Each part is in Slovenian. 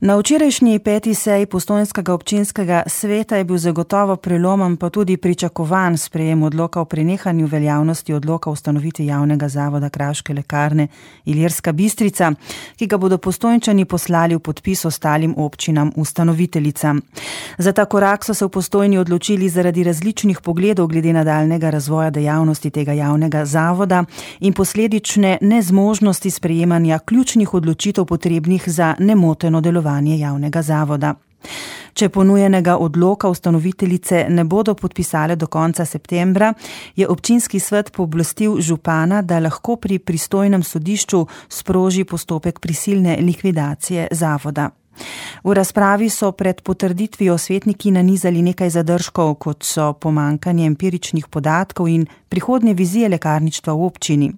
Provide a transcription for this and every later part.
Na včerajšnji 5. seji Postojnskega občinskega sveta je bil zagotovo prelomen pa tudi pričakovan sprejem odloka o prenehanju veljavnosti odloka o ustanovitvi javnega zavoda Kraške lekarne Ilirska Bistrica, ki ga bodo Postojnčani poslali v podpis ostalim občinam ustanoviteljicam. Za ta korak so se v Postojni odločili zaradi različnih pogledov glede nadaljnjega razvoja dejavnosti tega javnega zavoda in posledične nezmožnosti sprejemanja ključnih odločitev potrebnih za nemoteno delovanje javnega zavoda. Če ponujenega odloka ustanoviteljice ne bodo podpisale do konca septembra, je občinski svet pooblastil župana, da lahko pri pristojnem sodišču sproži postopek prisilne likvidacije zavoda. V razpravi so pred potrditvijo svetniki nanizali nekaj zadržkov, kot so pomanjkanje empiričnih podatkov in prihodnje vizije lekarništva v občini.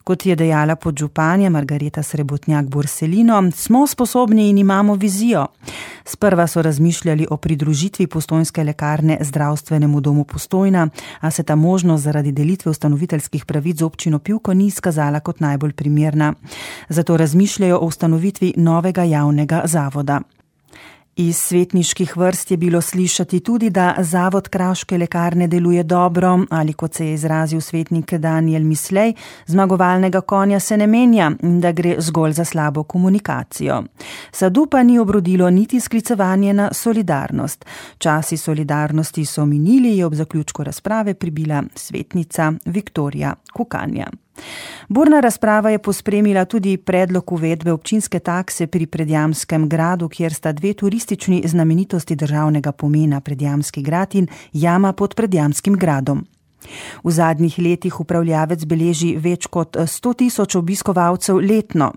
Kot je dejala podžupanja Margareta Srebotnjak-Borselino, smo sposobni in imamo vizijo. Sprva so razmišljali o pridružitvi postojnske lekarne zdravstvenemu domu Postojna, a se ta možnost zaradi delitve ustanoviteljskih pravic z občino Pivko ni izkazala kot najbolj primerna. Zato razmišljajo o ustanovitvi novega javnega zavoda. Iz svetniških vrst je bilo slišati tudi, da zavod Kraške lekarne deluje dobro ali, kot se je izrazil svetnik Daniel Mislej, zmagovalnega konja se ne menja in da gre zgolj za slabo komunikacijo. Sadu pa ni obrodilo niti sklicevanje na solidarnost. Časi solidarnosti so minili, je ob zaključku razprave pribila svetnica Viktorija Kukanja. Burna razprava je pospremila tudi predlog uvedbe občinske takse pri Predjamskem gradu, kjer sta dve turistični znamenitosti državnega pomena, Predjamski grad in jama pod Predjamskim gradom. V zadnjih letih upravljavec beleži več kot 100.000 obiskovalcev letno.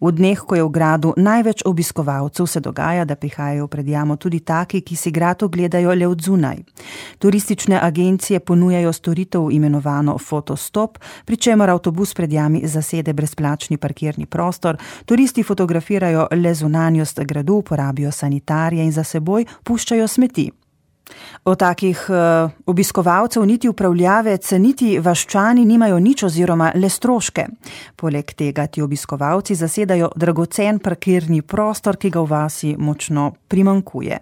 V dneh, ko je v gradu največ obiskovalcev, se dogaja, da prihajajo v Predjamo tudi taki, ki si grad ogledajo le od zunaj. Turistične agencije ponujajo storitev imenovano Fotostop, pri čemer avtobus Predjami zasede brezplačni parkirni prostor, turisti fotografirajo le zunanjost gradu, uporabijo sanitarije in za seboj puščajo smeti. O takih obiskovalcev niti upravljavec, niti vaščani nimajo nič oziroma le stroške. Poleg tega ti obiskovalci zasedajo dragocen parkirni prostor, ki ga v vasi močno primanjkuje.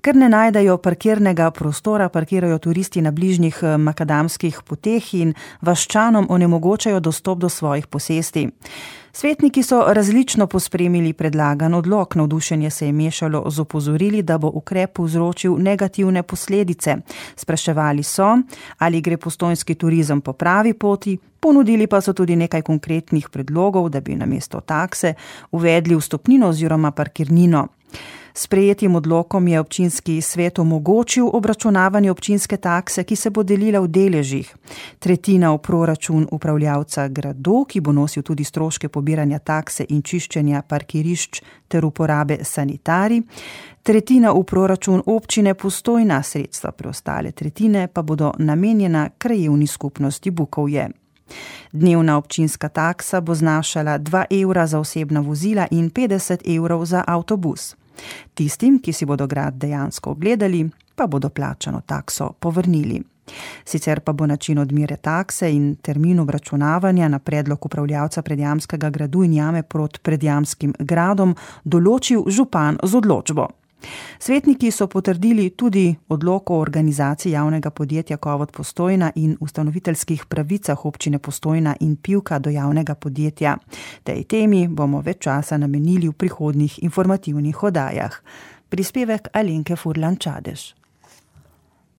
Ker ne najdejo parkirnega prostora, parkirajo turisti na bližnjih makadamskih poteh in vaščanom onemogočajo dostop do svojih posesti. Svetniki so različno pospremili predlagan odlok. Navdušenje se je mešalo z opozorili, da bo ukrep povzročil negativne posledice. Spraševali so, ali gre postojnski turizem po pravi poti, ponudili pa so tudi nekaj konkretnih predlogov, da bi namesto takse uvedli vstopnino oziroma parkirnino. Sprejetim odlokom je občinski svet omogočil obračunavanje občinske takse, ki se bo delila v deležih. Tretjina v proračun upravljavca gradu, ki bo nosil tudi stroške pobiranja takse in čiščenja parkirišč ter uporabe sanitarij. Tretjina v proračun občine Postojna, sredstva preostale tretjine pa bodo namenjena krajevni skupnosti Bukovje. Dnevna občinska taksa bo znašala 2 evra za osebna vozila in 50 evrov za avtobus. Tistim, ki si bodo grad dejansko ogledali, pa bodo plačano takso povrnili. Sicer pa bo način odmere takse in termin obračunavanja na predlog upravljavca Predjamskega gradu in jame pod Predjamskim gradom določil župan z odločbo. Svetniki so potrdili tudi odlok o organizaciji javnega podjetja Kovod Postojna in ustanoviteljskih pravicah občine Postojna in Pivka do javnega podjetja. Tej temi bomo več časa namenili v prihodnjih informativnih oddajah. Prispevek Alenke Furlan Čadež.